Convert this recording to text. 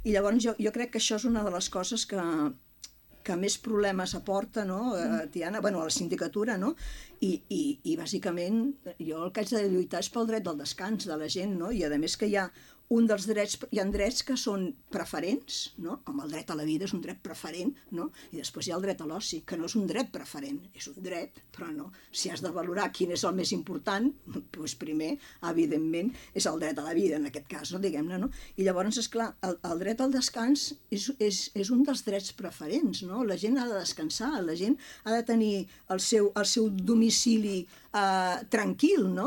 I llavors jo crec que això és una de les coses que més problemes aporta, no, Tiana, bueno, a la sindicatura, no? I bàsicament jo el que haig de lluitar és pel dret del descans de la gent, no? I a més que hi ha hi ha drets que són preferents, no? Com el dret a la vida és un dret preferent, no? I després hi ha el dret a l'oci, que no és un dret preferent, és un dret, però no. Si has de valorar quin és el més important, doncs primer, evidentment, és el dret a la vida, en aquest cas, no? Diguem-ne, no? I llavors, esclar, el dret al descans és un dels drets preferents, no? La gent ha de descansar, la gent ha de tenir el seu domicili tranquil, no?